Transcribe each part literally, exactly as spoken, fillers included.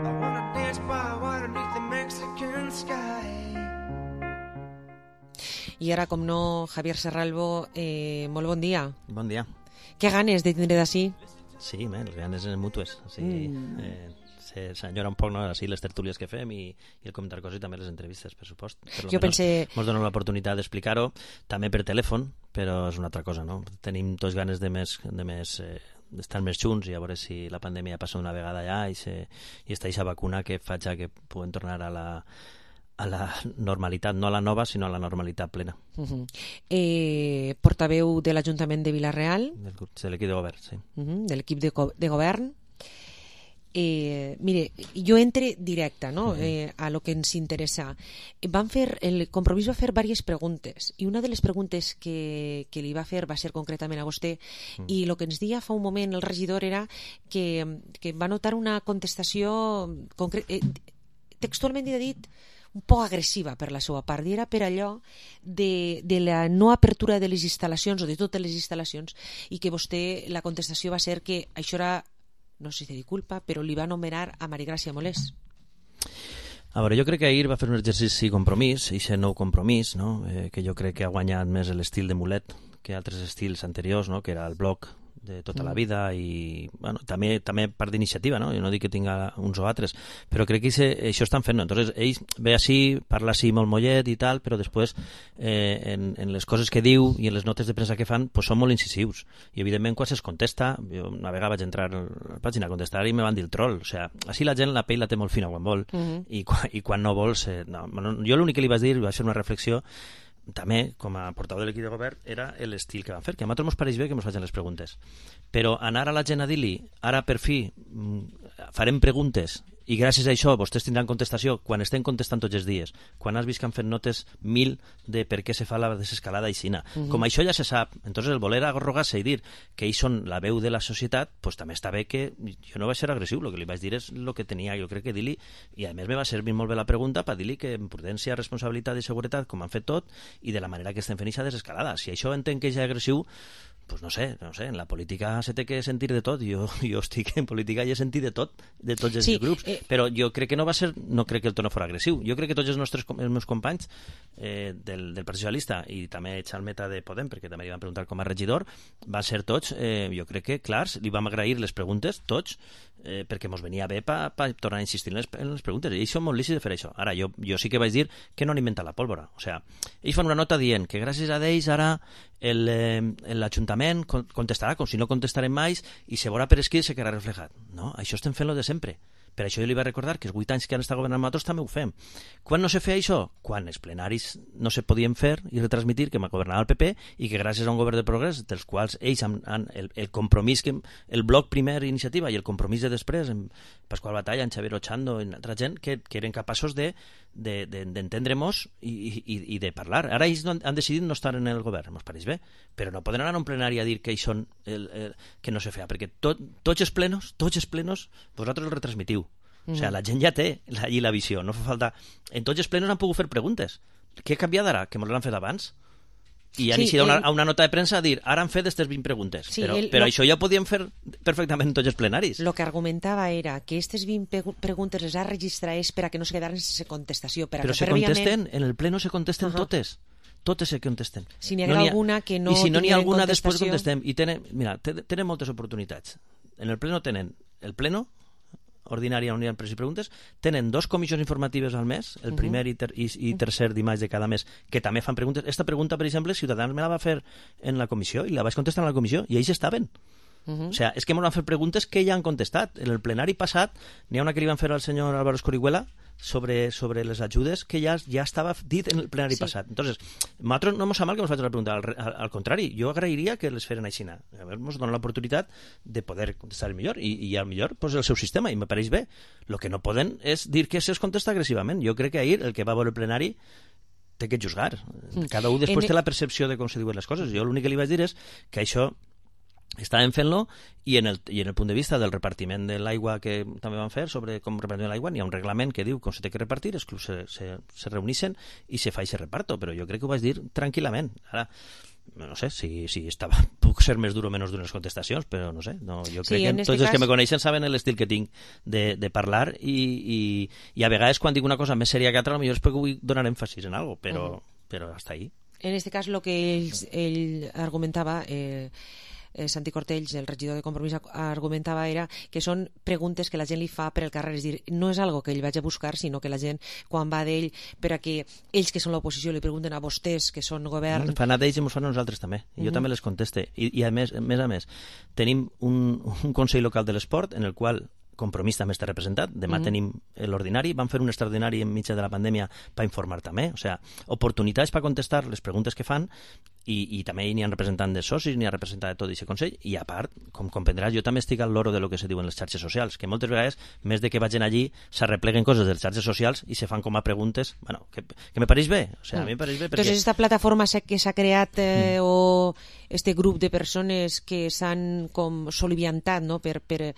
wanna dance by water beneath the Mexican sky. I ara, com no, Javier Serralbo, eh, molt bon dia. Bon dia. Què ganes de tindre d'ací? Sí, bé, les ganes eren mútues. O sigui, mm. eh, se, s'enyora un poc, no?, així les tertúlies que fem i, i el comentar coses i també les entrevistes, per supost. Per jo pensé... Ens donen l'oportunitat d'explicar-ho, també per telèfon, però és una altra cosa, no? Tenim tots ganes de més... De més eh, d'estar més junts i a veure si la pandèmia passa una vegada allà i, se, i està aquesta vacuna que faig que puguem tornar a la, a la normalitat, no a la nova, sinó a la normalitat plena. Uh-huh. Eh, portaveu de l'Ajuntament de Vila-real. De l'equip de govern, sí. Uh-huh. De l'equip de, de govern. Eh, mire, jo entre directe, no? uh-huh. eh, a lo que ens interessa. Van fer, el Compromís va fer diverses preguntes i una de les preguntes que, que li va fer va ser concretament a vostè uh-huh. i el que ens dia fa un moment el regidor era que, que va notar una contestació concre- eh, textualment ha dit un poc agressiva per la seva part, i era per allò de, de la no apertura de les instal·lacions o de totes les instal·lacions i que vostè, la contestació va ser que això era, no sé si de culpa, però li va anomenar a Marigràcia Molés. A veure, jo crec que ahir va fer un exercici compromís, i aquest nou compromís, no? eh, que jo crec que ha guanyat més l'estil de Mulet que altres estils anteriors, no? Que era el bloc de tota la vida i bueno, també, també part d'iniciativa, no? Jo no dic que tinga uns o altres, però crec que se, això estan fent, no? Entonces ell ve així, parla així molt mollet i tal, però després eh, en, en les coses que diu i en les notes de premsa que fan pues són molt incisius i evidentment quan se'ls contesta, jo una vegada vaig entrar a la pàgina a contestar i me van dir el troll, o sea, així la gent la pell la té molt fina quan vol uh-huh. i, quan, i quan no vol se, no, jo l'únic que li vaig dir, vaig fer una reflexió també, com a portaveu de l'equip de govern, era l'estil que van fer, que a nosaltres ens pareix bé que ens facin les preguntes. Però anar a la gent a dir-li, ara per fi farem preguntes i gràcies a això vostès tindran contestació quan estem contestant tots els dies, quan has vist que han fet notes mil de per què se fa la desescalada aixina. Uh-huh. Com això ja se sap, entonces el voler arrogar-se i dir que ells són la veu de la societat, pues també està bé que jo no vaig ser agressiu, el que li vaig dir és el que tenia, jo crec que dir-li, i a més me va servir molt bé la pregunta per dir-li que en prudència, responsabilitat i seguretat, com han fet tot, i de la manera que estem fent aquesta desescalada. Si això entenc que és agressiu, pues no sé, no sé, en la política se té que sentir de tot, jo, jo estic en política i he sentit de tot, de tots els sí, grups, eh... però jo crec que no va ser, no crec que el tono fos agressiu, jo crec que tots els nostres els meus companys eh, del, del Partit Socialista i també Xalmeta de Podem, perquè també li van preguntar com a regidor, van ser tots, eh, jo crec que clars, li vam agrair les preguntes, tots, eh, perquè mos venia bé per pa tornar a insistir en les, en les preguntes, i ells són molt lícits de fer això. Ara, jo, jo sí que vaig dir que no han inventat la pólvora, o sea, ells fan una nota dient que gràcies a ells ara el, eh, l'Ajuntament contestarà com si no contestarem mai i se veurà per escrit i se quedarà reflejat. No, això estem fent-lo de sempre. Per això jo li vaig recordar que els vuit anys que han estat governant nosaltres també ho fem. Quan no se feia això? Quan els plenaris no se podien fer i retransmitir que m'ha governat el P P i que gràcies a un govern de progrés, dels quals ells han, han el, el compromís, que el bloc primer iniciativa i el compromís de després, en Pasqual Batalla, en Xavier Ochando, en altra gent, que, que eren capaços de, de, de, d'entendre-mos i, i, i de parlar. Ara ells no, han decidit no estar en el govern, mos pareix bé, però no poden anar a un plenari a dir que ells són el, el, que no se feia, perquè tot, tots els plenos, tots els plenos, vosaltres els retransmitiu. Mm. O sigui, la gent ja té allí la visió, no fa falta... En tots els plenos han pogut fer preguntes. Què ha canviat ara? Que mos l'han fet abans? I han sí, iniciat el... una, una nota de premsa a dir ara han fet aquestes vint preguntes. Sí, però el, però lo... això ja ho podíem fer perfectament en tots els plenaris. El que argumentava era que aquestes vint preguntes les ha registrat és per a que no se quedaren sense contestació. Per a però que se prèviament... contesten, en el pleno se contesten uh-huh. totes. Totes se contesten. Si n'hi ha no alguna que no... I si no n'hi ha alguna després contestem. I tenen, mira, tenen moltes oportunitats. En el pleno tenen el pleno ordinària on hi ha preguntes i preguntes, tenen dos comissions informatives al mes, el primer uh-huh. i, ter i, i tercer dimarts de cada mes, que també fan preguntes. Esta pregunta, per exemple, Ciutadans me la va fer en la comissió i la vaig contestar en la comissió i ells estaven. Uh-huh. O sigui, és que ens van fer preguntes que ja han contestat. En el plenari passat n'hi ha una que li van fer al senyor Álvaro Escorihuela sobre, sobre les ajudes que ja, ja estava dit en el plenari sí. passat. Entonces, nosaltres no ens sap mal que ens faci la pregunta, al, al, al contrari, jo agrairia que les feren així. A veure, ens donen l'oportunitat de poder contestar el millor, i, i al millor pues, el seu sistema, i me pareix bé. El que no poden és dir que se'ls contesta agressivament. Jo crec que ahir el que va veure el plenari té que juzgar. Cada un després en... té la percepció de com se diuen les coses. Jo l'únic que li vaig dir és que això estàvem fent-lo i en, el, i en el punt de vista del repartiment de l'aigua que també van fer sobre com repartim l'aigua, n'hi ha un reglament que diu com se té que repartir, els clubs se, se, se reunixen i se fa aquest reparto, però jo crec que ho vaig dir tranquil·lament. Ara, no sé si, si estava, puc ser més dur o menys dur en les contestacions, però no sé, no, jo crec Sí, que en tots este els que cas- me coneixen saben l'estil que tinc de, de parlar i, i, i a vegades quan dic una cosa més sèria que altra, potser és perquè vull donar èmfasis en algo, però, uh -huh. però hasta ahí. En este cas, lo que ell, ell argumentava, eh, eh, Santi Cortells, el regidor de Compromís, argumentava era que són preguntes que la gent li fa per el carrer, és dir, no és algo que ell vagi a buscar, sinó que la gent, quan va d'ell, per a que ells que són l'oposició li pregunten a vostès, que són govern... Fan a d'ells i ens fan a nosaltres també, i jo uh -huh. també les conteste. I, i a més, a més a més, tenim un, un Consell Local de l'Esport en el qual Compromís també està representat. Demà mm. tenim l'ordinari. Vam fer un extraordinari enmig de la pandèmia per informar també. O sigui, oportunitats per contestar les preguntes que fan i, i també n'hi ha representant de socis, n'hi ha representant de tot aquest Consell. I a part, com comprendràs, jo també estic al loro de lo que se diu en les xarxes socials, que moltes vegades, més de que vagin allí, s'arrepleguen coses de les xarxes socials i se fan com a preguntes, bueno, que, que me pareix bé. O sigui, mm. a mi me pareix bé perquè... Entonces, esta plataforma que s'ha creat eh, mm. o este grup de persones que s'han com soliviantat, no?, per... per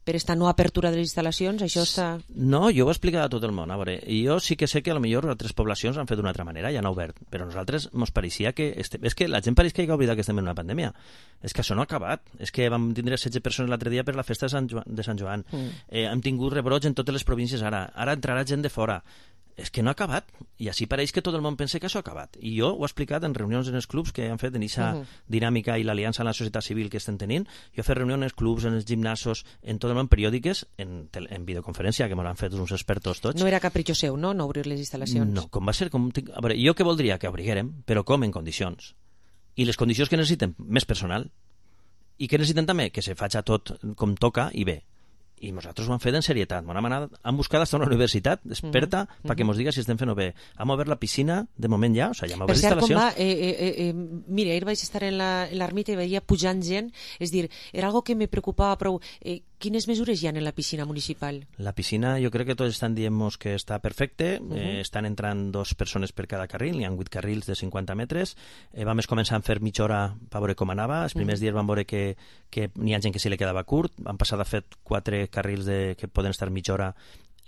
per esta no apertura de les instal·lacions, això està... No, jo ho he explicat a tot el món. A veure, jo sí que sé que potser altres poblacions han fet d'una altra manera i han obert, però a nosaltres ens pareixia que... Este... És que la gent pareix que hi ha oblidat que estem en una pandèmia. És que això no ha acabat. És que vam tindre setze persones l'altre dia per la festa de Sant Joan. De Sant Joan. Mm. Eh, hem tingut rebrots en totes les províncies ara. Ara entrarà gent de fora. És que no ha acabat, i així pareix que tot el món pensa que això ha acabat. I jo ho he explicat en reunions en els clubs que han fet en aquesta uh -huh. dinàmica i l'aliança amb la societat civil que estem tenint. Jo he fet reunions en els clubs, en els gimnasos, en tot el món, periòdiques, en, en videoconferència, que m'ho han fet uns expertos tots. No era capritxo seu, no?, no obrir les instal·lacions. No, com va ser... Com... A veure, jo què voldria? Que obriguérem, però com en condicions. I les condicions que necessiten? Més personal. I què necessiten també? Que se faci tot com toca i bé. I nosaltres ho hem fet en serietat. Hem anat, hem buscat fins a una universitat experta uh -huh. perquè ens diga si estem fent-ho bé. Hem obert la piscina, de moment ja, o sigui, ja hem obert instal·lacions. Per cert, com va? Eh, eh, eh, mira, ahir vaig estar en l'ermita i veia pujant gent, és dir, era algo que me preocupava prou. Eh, quines mesures hi ha en la piscina municipal? La piscina, jo crec que tots estan dient que està perfecte, uh -huh. eh, estan entrant dos persones per cada carril, hi ha vuit carrils de cinquanta metres, eh, vam començar a fer mitja hora per veure com anava, els primers uh -huh. dies vam veure que, que n'hi ha gent que se li quedava curt, vam passar de fet quatre carrils de, que poden estar mitja hora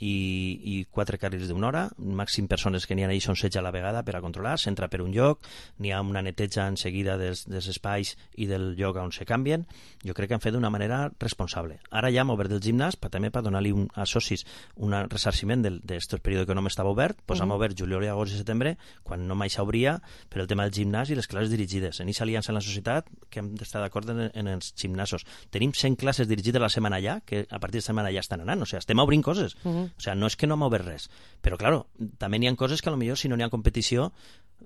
i, i quatre carrils d'una hora, màxim persones que n'hi ha ahí són setze a la vegada per a controlar, s'entra per un lloc, n'hi ha una neteja en seguida dels, dels espais i del lloc on se canvien. Jo crec que han fet d'una manera responsable. Ara ja hem obert el gimnàs per, també per donar-li un, a socis un ressarciment d'aquest període que no m'estava obert, doncs uh -huh. hem obert juliol, agost i setembre, quan no mai s'obria, per el tema del gimnàs i les classes dirigides. En aquesta aliança en la societat que hem d'estar d'acord en, en els gimnasos. Tenim cent classes dirigides a la setmana ja, que a partir de setmana ja estan anant, o sigui, estem obrint coses. Uh -huh. O sea, no és que no hem obert res, però claro, també n'hi ha coses que potser si no n'hi ha competició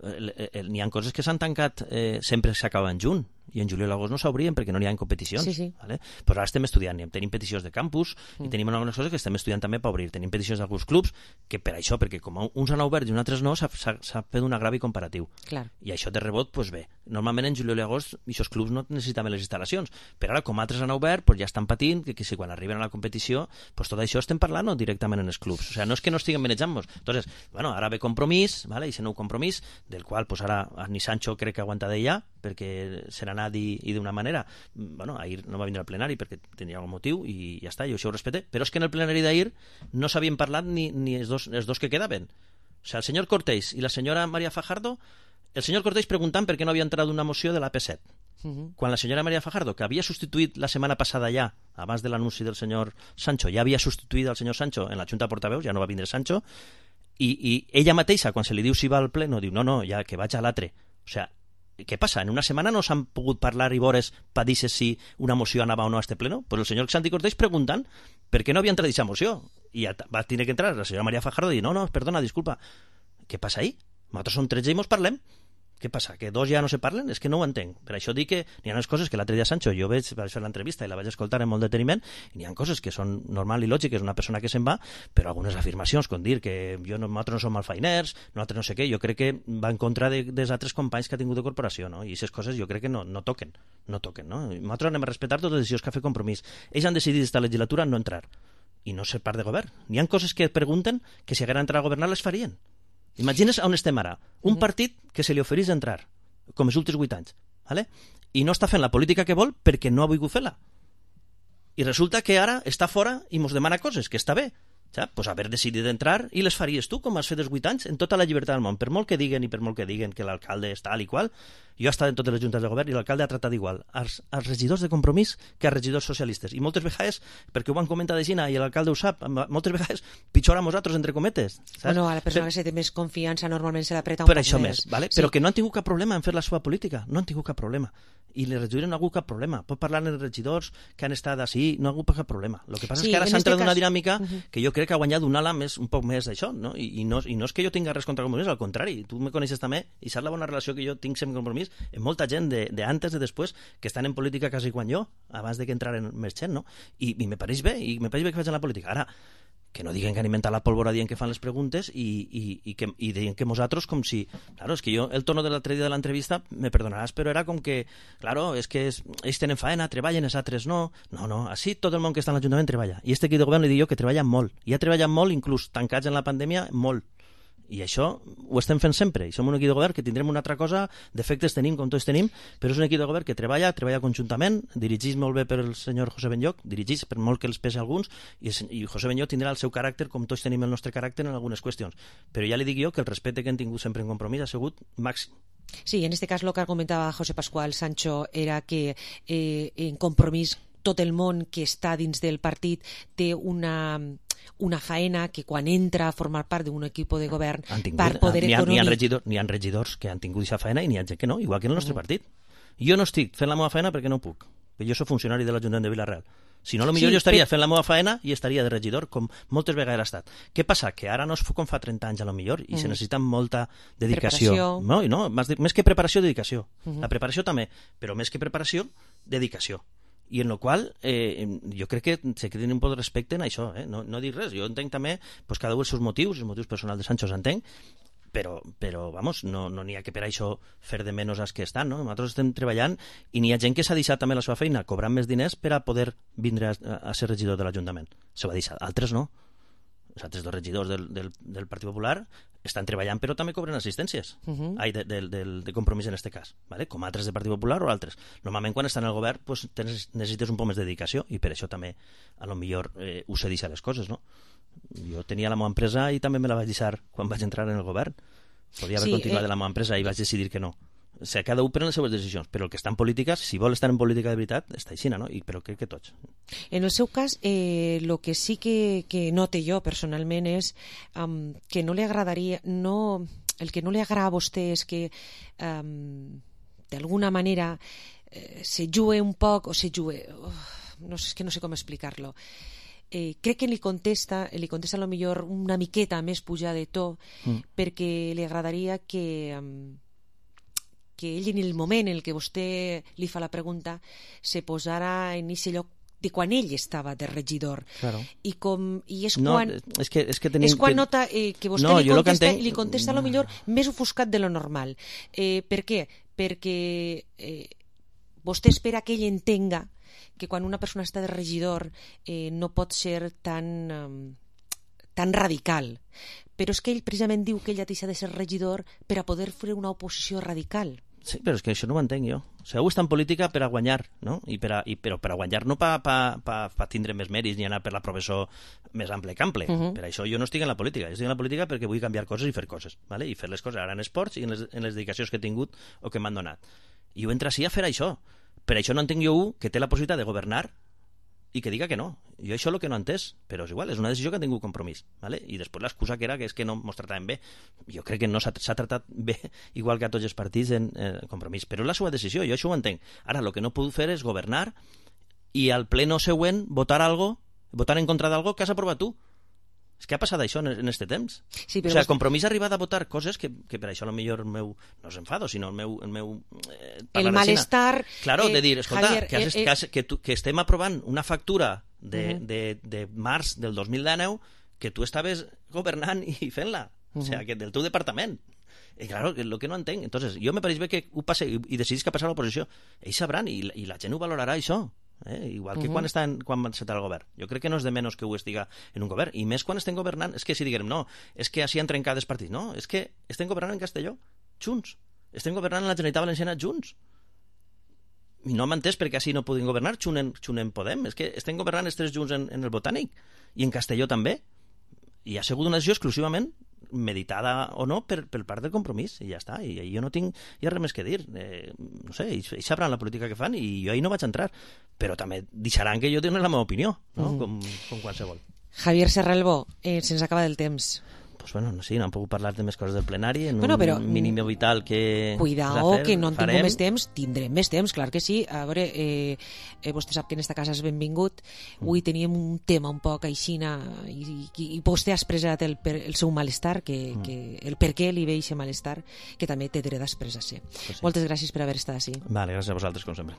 eh, eh, n'hi ha coses que s'han tancat eh, sempre s'acaben junt, i en juliol i agost no s'obrien perquè no n'hi ha competicions. Sí, sí. Vale? Però ara estem estudiant, tenim peticions de campus mm. i tenim algunes coses que estem estudiant també per obrir. Tenim peticions d'alguns clubs que per això, perquè com uns han obert i uns altres no, s'ha fet un agravi comparatiu. Clar. I això de rebot, doncs bé, normalment en juliol i agost aquests clubs no necessitaven les instal·lacions, però ara com altres han obert, doncs ja estan patint que, que si quan arriben a la competició, doncs tot això estem parlant directament en els clubs. O sigui, no és que no estiguem manejant-nos. Entonces, bueno, ara ve Compromís, ¿vale? I aquest nou compromís, del qual pues, ara ni Sancho crec que aguanta d'ella, perquè se n'ha anat i, i d'una manera, bueno, ahir no va vindre al plenari perquè tenia algun motiu i ja està, jo això ho respecte, però és que en el plenari d'ahir no s'havien parlat ni, ni els, dos, els dos que quedaven. O sigui, el senyor Cortés i la senyora María Fajardo, el senyor Cortés preguntant per què no havia entrat una moció de l'A P set. Uh-huh. Quan la senyora María Fajardo, que havia substituït la setmana passada ja, abans de l'anunci del senyor Sancho, ja havia substituït el senyor Sancho en la Junta de Portaveus, ja no va vindre Sancho, i, i ella mateixa, quan se li diu si va al pleno, diu, no, no, ja que vaig a l'altre. O sigui, què passa? En una setmana no s'han pogut parlar i veures per dir si una moció anava o no a este pleno? Pues el senyor Santi Cortés preguntant per què no havia entrat aquesta moció. I ja va tenir que entrar la senyora María Fajardo i dir, no, no, perdona, disculpa. Què passa ahí? Nosaltres som tretze i mos parlem. Què passa? Que dos ja no se parlen? És que no ho entenc. Per això dic que n'hi ha unes coses que l'altre dia Sancho, jo veig, vaig fer l'entrevista i la vaig escoltar amb molt deteniment, i n'hi ha coses que són normal i lògiques, una persona que se'n va, però algunes afirmacions, com dir que jo no, nosaltres no som malfainers, nosaltres no sé què, jo crec que va en contra de, dels altres companys que ha tingut de corporació, no? I aquestes coses jo crec que no, no toquen, no toquen, no? Nosaltres anem a respectar totes les decisions que ha fet Compromís. Ells han decidit esta legislatura no entrar, i no ser part de govern. N'hi ha coses que pregunten que si hagueren entrat a governar les farien. Imagines on estem ara. Un partit que se li oferís entrar, com els últims vuit anys, ¿vale? I no està fent la política que vol perquè no ha volgut fer-la. I resulta que ara està fora i mos demana coses, que està bé, Saps? Pues haver decidit entrar i les faries tu, com has fet els vuit anys, en tota la llibertat del món. Per molt que diguen i per molt que diguen que l'alcalde és tal i qual, jo he estat en totes les juntes de govern i l'alcalde ha tratat igual als, als regidors de Compromís que als regidors socialistes. I moltes vegades, perquè ho han comentat de Gina i l'alcalde ho sap, moltes vegades pitjor a nosaltres, entre cometes. Saps? Bueno, a la persona per... que se té més confiança normalment se l'apreta un per poc això més. més vale? Sí. Però que no han tingut cap problema en fer la seva política. No han tingut cap problema. I les regidores no ha hagut cap problema. Pot parlar amb els regidors que han estat així, no ha hagut cap problema. El que passa sí, és que ara s'ha entrat en una cas... dinàmica uh -huh. que jo crec que ha guanyat un ala més, un poc més d'això, no? I, i, no, i no és que jo tinga res contra Compromís, al contrari, tu me coneixes també i saps la bona relació que jo tinc sempre amb Compromís, amb molta gent de, de antes, de després, que estan en política quasi quan jo, abans de que entraren més gent, no? I, i me pareix bé, i me pareix bé que facin la política. Ara, que no diguen que han inventat la pólvora dient que fan les preguntes i, i, i, que, i deien que nosaltres com si... Claro, és que jo, el tono de l'altre dia de l'entrevista, me perdonaràs, però era com que, claro, és que es, ells tenen faena, treballen, els altres no. No, no, així tot el món que està en l'Ajuntament treballa. I este equip de govern li dic jo que treballa molt. I ha treballat molt, inclús tancats en la pandèmia, molt. I això ho estem fent sempre. I som un equip de govern que tindrem una altra cosa, defectes tenim com tots tenim, però és un equip de govern que treballa, treballa conjuntament, dirigís molt bé per el senyor José Benlloch, dirigís per molt que els pese a alguns, i, i José Benlloch tindrà el seu caràcter com tots tenim el nostre caràcter en algunes qüestions. Però ja li dic jo que el respecte que hem tingut sempre en Compromís ha sigut màxim. Sí, en este cas lo que argumentava José Pascual Sancho era que eh, en Compromís tot el món que està dins del partit té una... una faena que quan entra a formar part d'un equip de govern tingut, per poder n'hi ha, econòmic... N'hi ha, regidor, n'hi ha regidors que han tingut aquesta faena i n'hi ha gent que no, igual que en el nostre mm. partit. Jo no estic fent la meva faena perquè no puc. Jo soc funcionari de l'Ajuntament de Vilareal. Si no, potser sí, jo estaria però... fent la meva faena i estaria de regidor, com moltes vegades ha estat. Què passa? Que ara no és com fa trenta anys, a lo millor, i mm. se necessita molta dedicació. Preparació. No, i no, més, més que preparació, dedicació. Mm -hmm. La preparació també, però més que preparació, dedicació. I en el qual eh, jo crec que se creen un poc de respecte en això, eh? no, no dic res, jo entenc també pues, cada un els seus motius, els motius personals de Sancho s'entenc, però, però vamos, no n'hi no ha que per això fer de menys als que estan, no? Nosaltres estem treballant i n'hi ha gent que s'ha deixat també la seva feina cobrant més diners per a poder vindre a, a ser regidor de l'Ajuntament, se va deixar, altres no. Els altres dos regidors del, del, del Partit Popular estan treballant però també cobren assistències uh -huh. Ai, de, de, de, de Compromís en este cas, ¿vale? Com altres del Partit Popular o altres. Normalment quan estan al govern pues, tens, necessites un poc més de dedicació i per això també a lo millor eh, us he deixat les coses, no? Jo tenia la meva empresa i també me la vaig deixar quan vaig entrar en el govern. Podria haver sí, continuat eh... de la meva empresa i vaig decidir que no. O sigui, cada un pren les seves decisions, però el que està en política, si vol estar en política de veritat, està així, no? I, però crec que tots. En el seu cas, eh, lo que sí que, que note jo personalment és um, que no li agradaria, no, el que no li agrada a vostè és que um, d'alguna manera eh, se jugue un poc, o se jugue, oh, no sé, és que no sé com explicar-lo. Eh, crec que li contesta, li contesta a lo millor una miqueta més pujada de to, mm. perquè li agradaria que... Um, que ell en el moment en què vostè li fa la pregunta se posara en aquest lloc de quan ell estava de regidor. Claro. I, com, i és no, quan, és que, és que, tenim, és quan que... nota eh, que vostè no, li contesta, entenc... li contesta a lo millor més ofuscat de lo normal. Eh, per què? Perquè eh, vostè espera que ell entenga que quan una persona està de regidor eh, no pot ser tan... Um, tan radical, però és que ell precisament diu que ell ha deixat de ser regidor per a poder fer una oposició radical. Sí, però és que això no ho entenc jo. O sigui, heu estat en política per a guanyar, no? I per a, i, però per a guanyar no per pa, pa, pa tindre més mèrits ni anar per la professó més ample que ample. Uh -huh. Per això jo no estic en la política. Jo estic en la política perquè vull canviar coses i fer coses, ¿vale? I fer les coses ara en esports i en les, en les dedicacions que he tingut o que m'han donat. I ho entra així a fer això. Per això no entenc jo un que té la possibilitat de governar i que diga que no. Jo això és el que no he entès, però és igual, és una decisió que ha tingut Compromís, ¿vale? I després l'excusa que era que és que no mos trataven bé. Jo crec que no s'ha tratat bé, igual que a tots els partits en eh, Compromís, però és la seva decisió, jo això ho entenc. Ara, el que no puc fer és governar i al pleno següent votar algo, votar en contra d'algo que has aprovat tu. És que ha passat això en, en este temps. Sí, però o sigui, vos... Compromís ha arribat a votar coses que, que per això potser el meu, no és enfado, sinó el meu... El, meu, eh, el malestar... Claro, eh, de dir, escolta, Javier, que, has, eh, que, has, que, tu, que estem aprovant una factura de, uh -huh. de, de març del dos mil dinou que tu estaves governant i fent-la. Uh -huh. O sigui, que del teu departament. I claro, el que no entenc. Entonces, jo me pareix bé que ho passe i, i decidis que passarà a l'oposició. Ells sabran i, i la gent ho valorarà, això. Eh? Igual que uh -huh. quan està en, quan va encetar el govern. Jo crec que no és de menys que ho estiga en un govern, i més quan estem governant. És que si diguem, no, és que així han trencat els partits. No, és que estem governant en Castelló, junts. Estem governant en la Generalitat Valenciana junts. I no m'ha entès perquè així no podem governar, xunen, xunen Podem. És que estem governant els tres junts en, en el Botànic i en Castelló també. i ha sigut una decisió exclusivament meditada o no per, per part del Compromís, i ja està, i, i jo no tinc ja res més que dir, eh, no sé, ells, ells sabran la política que fan i jo ahí no vaig entrar, però també deixaran que jo tingui la meva opinió, no? Mm. com, com qualsevol. Javier Serralbo, eh, se'ns acaba del temps. Pues bueno, sí, no han pogut parlar de més coses del plenari en bueno, però, un mínim vital que... Cuidao, fer, que no en farem. tinguem més temps, tindrem més temps, clar que sí. A veure, eh, eh, vostè sap que en esta casa és benvingut. Avui teníem un tema un poc aixina i, i, i vostè ha expressat el, per, el seu malestar, que, mm. que, el per què li ve aquest malestar, que també té dret a expressar-se. Pues sí. Moltes gràcies per haver estat així. Vale, gràcies a vosaltres, com sempre.